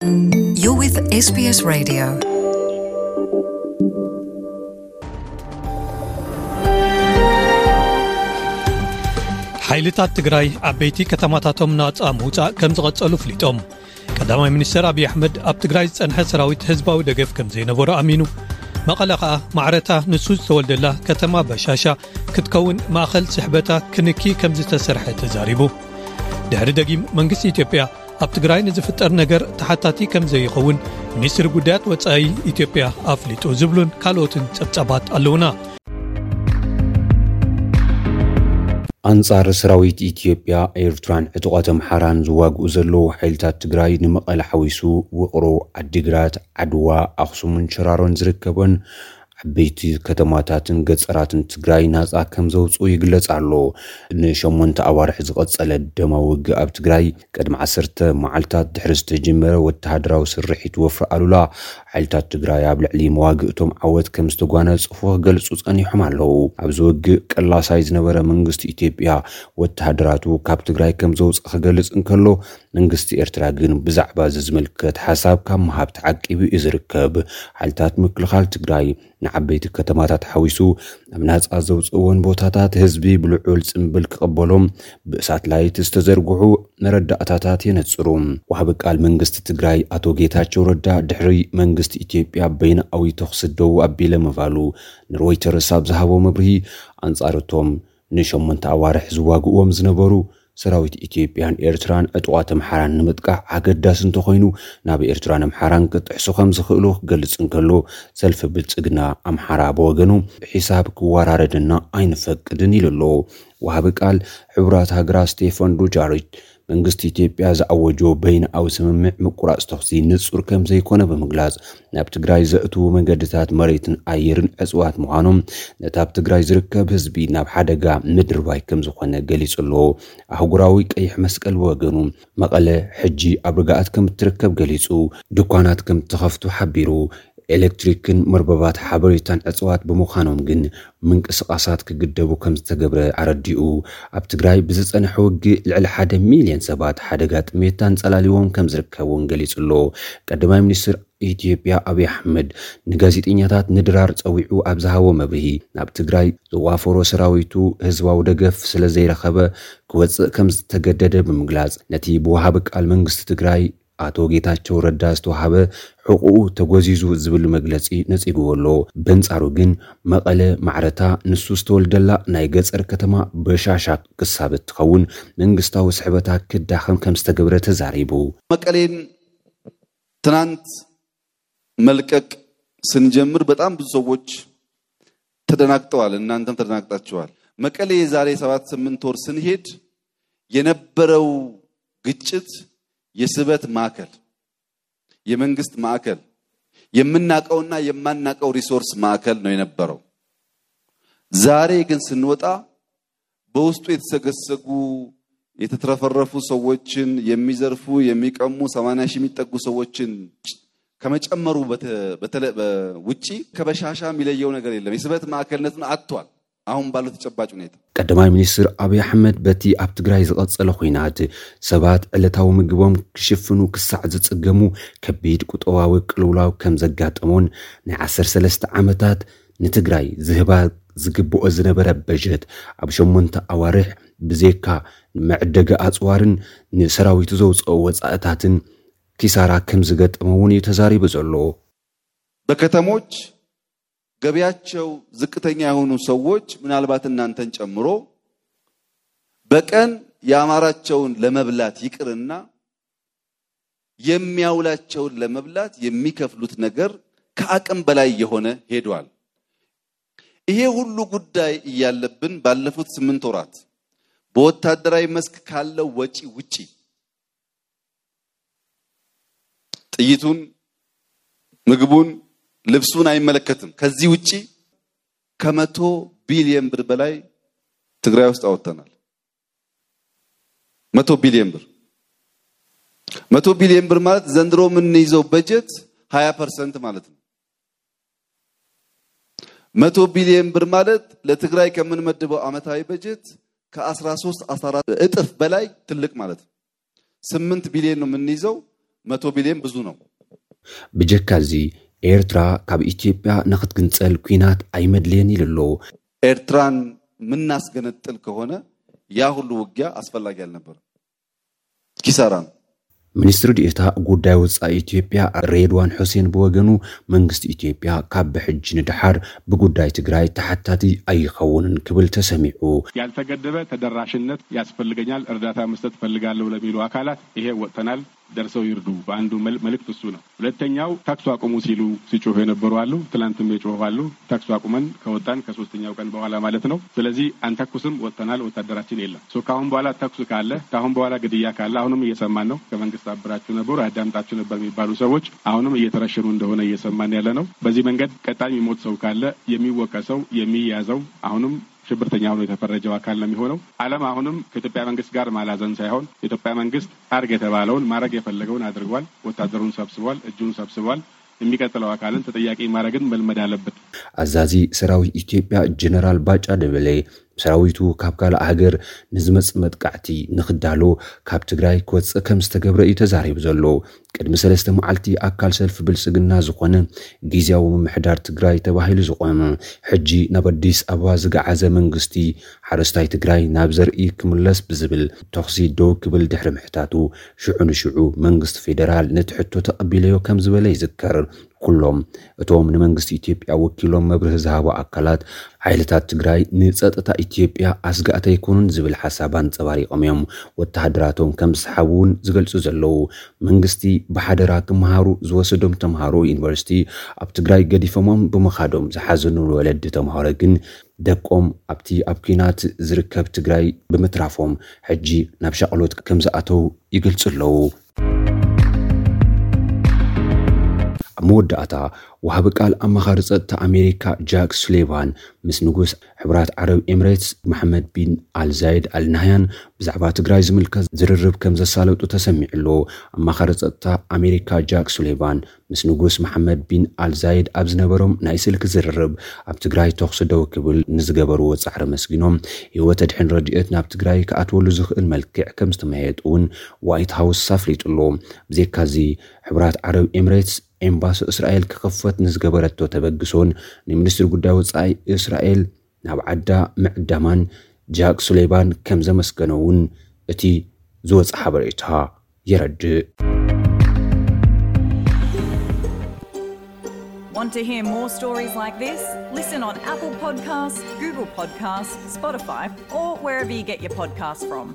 You're with S B S Radio. ሓይልታት ትግራይ ዓበይቲ ከተማታቶም ናጻ ምውጻእ ከም ዝቐጸሉ ኣፍሊጦም። ቀዳማይ ሚኒስትር ኣብይ ኣሕመድ ኣብ ትግራይ ዝጸንሐ ሰራዊት ህዝባዊ ደገፍ ከም ዘይነበሮ ኣሚኑ። መቐለ ከኣ ማዕረታ ንሱ ዝተወልደላ ከተማ በሻሻ ክትከውን ማእኸል ስሕበታ ክንኪ ከም ዝተሰርሐ ተዛሪቡ። ድሕሪ ደጊም መንግስቲ ኢትዮጵያ ኣብ ትግራይ ንዝፍጠር ነገር ተሓታቲ ከም ዘይኸውን ሚኒስትሪ ጉዳያት ወጻኢ ኢትዮጵያ ኣፍሊጡ ዝብሉን ካልኦትን ጸብጻባት ኣለውና። ኣንጻር ሰራዊት ኢትዮጵያ፣ ኤርትራን ዕጡቓት ኣምሓራን ዝዋግኡ ዘለዉ ሓይልታት ትግራይ፣ ንመቐለ ሓዊሱ ውቕሮ፣ ዓዲግራት፣ ዓድዋ፣ ኣኽሱምን ሽራሮን ዝርከበን ዓበይቲ ከተማታትን ገጸራትን ትግራይ ናጻ ከም ዘውጽኡ ይግለጽ ኣሎ። ንሸሞንተ ኣዋርሕ ዝቐጸለ ደማዊ ውግእ ኣብ ትግራይ፣ ቅድሚ ዓሰርተ መዓልታት ድሕሪ ዝተጀመረ ወተሃደራዊ ስርሒት ወፍሪ ኣሉላ፣ ሓይልታት ትግራይ ኣብ ልዕሊ መዋግእቶም ዓወት ከም ዝተጓናጸፉ ክገልጹ ጸኒሖም ኣለዉ። ኣብዚ ውግእ ቀላሳይ ዝነበረ መንግስቲ ኢትዮጵያ፣ ወተሃደራቱ ካብ ትግራይ ከም ዘውጽእ ክገልጽ እንከሎ፣ መንግስቲ ኤርትራ ግን ብዛዕባ እዚ ዝምልከት ሓሳብ ካብ ምሃብ ተዓቂቡ እዩ ዝርከብ። ሓይልታት ምክልኻል ትግራይ ንዓበይቲ ከተማታት ሓዊሱ ኣብ ናጻ ዘውጽእዎን ቦታታት ህዝቢ ብልዑል ጽምብል ክቕበሎም ብሳትላይት ዝተዘርግሑ መረዳእታታት የነጽሩ። ወሃቢ ቃል መንግስቲ ትግራይ ኣቶ ጌታቸው ረዳ፣ ድሕሪ መንግስቲ ኢትዮጵያ በይናዊ ተኹሲ ደው ኣቢለ ምባሉ፣ ንሮይተርስ ኣብ ዝሃቦ መብርሂ፣ ኣንጻር እቶም ንሸሞንተ ኣዋርሕ ዝዋግእዎም ዝነበሩ ሰራዊት ኢትዮጵያን ኤርትራን ዕጡቓት ኣምሓራን ንምጥቃዕ ኣገዳሲ እንተኾይኑ፣ ናብ ኤርትራን ኣምሓራን ክጥሕሱ ከም ዝኽእሉ ክገልጽ እንከሎ፣ ሰልፊ ብልጽግና ኣምሓራ ብወገኑ፣ "ብሒሳብ ክወራረደና ኣይንፈቅድን" ኢሉ ኣሎ። ወሃቢ ቃል ሕቡራት ሃገራት ስቴፋን ዱጃሪች፣ መንግስቲ ኢትዮጵያ ዝኣወጆ በይንኣዊ ስምምዕ ምቁራጽ ተኹሲ ንጹር ከም ዘይኮነ ብምግላጽ፣ ናብ ትግራይ ዘእትዉ መንገድታት መሬትን ኣየርን ዕጽዋት ምዃኖም፣ ነቲ ኣብ ትግራይ ዝርከብ ህዝቢ ናብ ሓደጋ ምድርባይ ከም ዝኾነ ገሊጹ ኣሎ። ኣህጉራዊ ቀይሕ መስቀል ብወገኑ፣ መቐለ ሕጂ ኣብ ርግኣት ከም እትርከብ ገሊጹ፣ ድኳናት ከም እተኸፍቱ ሓቢሩ። ኤሌክትሪክን መርበባት ሓበሬታን ዕጽዋት ብምዃኖም ግን ምንቅስቓሳት ክግደቡ ከም ዝተገብረ ኣረዲኡ። ኣብ ትግራይ ብዝጸንሐ ውግእ ልዕሊ ሓደ ሚልዮን ሰባት ሓደጋ ጥሜት ኣንጸላሊዎም ከም ዝርከብ እውን ገሊጹ ኣሎ። ቀዳማይ ሚኒስትር ኢትዮጵያ ኣብይ ኣሕመድ ንጋዜጠኛታት ንድራር ጸዊዑ ኣብ ዝሃቦ መብርሂ፣ ናብ ትግራይ ዝዋፈሮ ሰራዊቱ ህዝባዊ ደገፍ ስለ ዘይረኸበ ክወጽእ ከም ዝተገደደ ብምግላጽ፣ ነቲ ብወሃቢ ቃል መንግስቲ ትግራይ ኣቶ ጌታቸው ረዳ ዝተዋሃበ ሕቑኡ ተጎዚዙ ዝብል መግለጺ ነጺግዎ ኣሎ። በንጻሩ ግን፣ መቐለ ማዕረታ ንሱ ዝተወልደላ ናይ ገጸር ከተማ በሻሻ ክሳብ እትኸውን፣ መንግስታዊ ስሕበታ ክዳኸም ከም ዝተገብረ ተዛሪቡ። መቀሌን ትናንት መልቀቅ ስንጀምር በጣም ብዙ ሰዎች ተደናግጠዋል። እናንተም ተደናግጣችኋል። መቀሌ የዛሬ ሰባት ስምንት ወር ስንሄድ የነበረው ግጭት የስበት ማዕከል፣ የመንግስት ማዕከል፣ የምናቀውና የማናቀው ሪሶርስ ማዕከል ነው የነበረው። ዛሬ ግን ስንወጣ በውስጡ የተሰገሰጉ የተትረፈረፉ ሰዎችን የሚዘርፉ የሚቀሙ ሰማንያ ሺህ የሚጠጉ ሰዎችን ከመጨመሩ በተ-፣ በተለ-፣ በ-፣ ውጪ ከበሻሻ የሚለየው ነገር የለም። የስበት ማዕከልነቱን አጥቷል። አሁን ባለው ተጨባጭ ሁኔታ ቀዳማይ ሚኒስትር ኣብይ ኣሕመድ በቲ ኣብ ትግራይ ዝቐጸለ ኹናት ሰባት ዕለታዊ ምግቦም ክሽፍኑ ክሳዕ ዝጽገሙ ከቢድ ቁጠባዊ ቅልውላው ከም ዘጋጠሞን ናይ ዓሰርተ ሰለስተ ዓመታት ንትግራይ ዝህባ ዝግብኦ ዝነበረ በጀት ኣብ ሸሞንተ ኣዋርሕ ብዜካ መዕደጊ ኣጽዋርን ንሰራዊቱ ዘውፅኦ ወፃእታትን ኪሳራ ከም ዝገጠመ እውን እዩ ተዛሪቡ ዘሎ። በከተሞች ገቢያቸው ዝቅተኛ የሆኑ ሰዎች ምናልባት እናንተን ጨምሮ በቀን የአማራቸውን ለመብላት ይቅርና የሚያውላቸውን ለመብላት የሚከፍሉት ነገር ከአቅም በላይ የሆነ ሄዷል። ይሄ ሁሉ ጉዳይ እያለብን ባለፉት ስምንት ወራት በወታደራዊ መስክ ካለው ወጪ ውጪ ጥይቱን፣ ምግቡን፣ ልብሱን አይመለከትም። ከዚህ ውጪ ከመቶ ቢሊየን ብር በላይ ትግራይ ውስጥ አወጥተናል። መቶ ቢሊየን ብር፣ መቶ ቢሊየን ብር ማለት ዘንድሮ የምንይዘው በጀት ሃያ ፐርሰንት ማለት ነው። መቶ ቢሊየን ብር ማለት ለትግራይ ከምንመድበው ዓመታዊ በጀት ከአስራ ሦስት አስራ አራት እጥፍ በላይ ትልቅ ማለት ነው። ስምንት ቢሊየን ነው የምንይዘው። መቶ ቢልዮን ብዙ ነው። ብጀካ እዚ ኤርትራ ካብ ኢትዮጵያ ንክትግንጸል ኲናት ኣይመድልየን ኢሉ ኣሎ። ኤርትራን ምናስገነጥል ከሆነ ያ ሁሉ ውጊያ አስፈላጊ አልነበረም። ኪሳራ ነው። ሚኒስትሪ ዲኤታ ጉዳይ ወጻኢ ኢትዮጵያ ሬድዋን ሑሴን ብወገኑ መንግስቲ ኢትዮጵያ ካብ ብሕጂ ንድሓር ብጉዳይ ትግራይ ተሓታቲ ኣይኸውንን ክብል ተሰሚዑ። ያልተገደበ ተደራሽነት ያስፈልገኛል፣ እርዳታ መስጠት እፈልጋለሁ ለሚሉ አካላት ይሄ ወጥተናል፣ ደርሰው ይርዱ። በአንዱ መልእክት እሱ ነው። ሁለተኛው ተኩስ አቁሙ ሲሉ ሲጮሁ የነበሩ አሉ። ትላንትም የጮሁ አሉ። ተኩስ አቁመን ከወጣን ከሶስተኛው ቀን በኋላ ማለት ነው። ስለዚህ አንተኩስም፣ ወጥተናል፣ ወታደራችን የለም። ከአሁን በኋላ ተኩስ ካለ፣ ከአሁን በኋላ ግድያ ካለ፣ አሁንም እየሰማን ነው። ከመንግስት አብራችሁ ነበሩ፣ አዳምጣችሁ ነበር የሚባሉ ሰዎች አሁንም እየተረሸኑ እንደሆነ እየሰማን ያለ ነው። በዚህ መንገድ ቀጣይ የሚሞት ሰው ካለ የሚወቀሰው የሚያዘው አሁንም ሽብርተኛ ሆኖ የተፈረጀው አካል ነው የሚሆነው። ዓለም አሁንም ከኢትዮጵያ መንግስት ጋር ማላዘን ሳይሆን የኢትዮጵያ መንግስት አርግ የተባለውን ማድረግ የፈለገውን አድርጓል። ወታደሩን ሰብስቧል፣ እጁን ሰብስቧል። የሚቀጥለው አካልን ተጠያቂ ማድረግን መልመድ አለበት። ኣዛዚ ሰራዊት ኢትዮጵያ ጀነራል ባጫ ደበሌ ሰራዊቱ ካብ ካልእ ሃገር ንዝመጽእ መጥቃዕቲ ንክዳሎ ካብ ትግራይ ክወፅእ ከም ዝተገብረ እዩ ተዛሪቡ ዘሎ። ቅድሚ ሰለስተ መዓልቲ ኣካል ሰልፊ ብልጽግና ዝኾነ ግዝያዊ ምምሕዳር ትግራይ ተባሂሉ ዝቖመ ሕጂ ናብ ኣዲስ ኣበባ ዝገዓዘ መንግስቲ ሓረስታይ ትግራይ ናብ ዘርኢ ክምለስ ብዝብል ተኹሲ ደው ክብል ድሕሪ ምሕታቱ ሽዑ ንሽዑ መንግስቲ ፌደራል ነቲ ሕቶ ተቐቢለዮ ከም ዝበለ ይዝከር። ኩሎም እቶም ንመንግስቲ ኢትዮጵያ ወኪሎም መብርሂ ዝሃቡ ኣካላት ሓይልታት ትግራይ ንፀጥታ ኢትዮጵያ ኣስጋእቲ ኣይኮኑን ዝብል ሓሳብ ኣንፀባሪቖም እዮም ወተሃደራቶም ከም ዝሰሓቡ እውን ዝገልፁ ዘለዉ። መንግስቲ ብሓደራ ክመሃሩ ዝወሰዶም ተምሃሮ ዩኒቨርሲቲ ኣብ ትግራይ ገዲፎሞም ብምኻዶም ዝሓዘኑ ወለዲ ተምሃሮ ግን ደቆም ኣብቲ ኣብ ኲናት ዝርከብ ትግራይ ብምትራፎም ሕጂ ናብ ሻቕሎት ከም ዝኣተው ይገልፁ ኣለዉ። ኣብ መወዳእታ ወሃቢ ቃል ኣማኻሪ ጸጥታ ኣሜሪካ ጃክ ሱሊቫን ምስ ንጉስ ሕብራት ዓረብ ኤምሬትስ መሐመድ ቢን ኣልዛይድ ኣልናህያን ብዛዕባ ትግራይ ዝምልከት ዝርርብ ከም ዘሳለጡ ተሰሚዑ ኣሎ። ኣማኻሪ ጸጥታ ኣሜሪካ ጃክ ሱሊቫን ምስ ንጉስ መሐመድ ቢን ኣልዛይድ ኣብ ዝነበሮም ናይ ስልኪ ዝርርብ ኣብ ትግራይ ተኹሲ ደው ክብል ንዝገበርዎ ጻዕሪ ኣመስጊኖም ህይወት ኣድሕን ረድኤት ናብ ትግራይ ክኣትወሉ ዝኽእል መልክዕ ከም ዝተመያየጡ እውን ዋይት ሃውስ ኣፍሊጡ ኣሎ። ብዘይካዚ ሕብራት ዓረብ ኤምሬትስ ኤምባሲ እስራኤል ክኽፈት ንዝገበረቶ ተበግሶን ንሚኒስትሪ ጉዳይ ወጻኢ እስራኤል ናብ ዓዳ ምዕዳማን ጃክ ሱሌቫን ከም ዘመስገኖ እውን እቲ ዝወፀ ሓበሬታ የረድእ። Want to hear more stories like this? Listen on Apple Podcasts, Google Podcasts, Spotify, or wherever you get your podcasts from.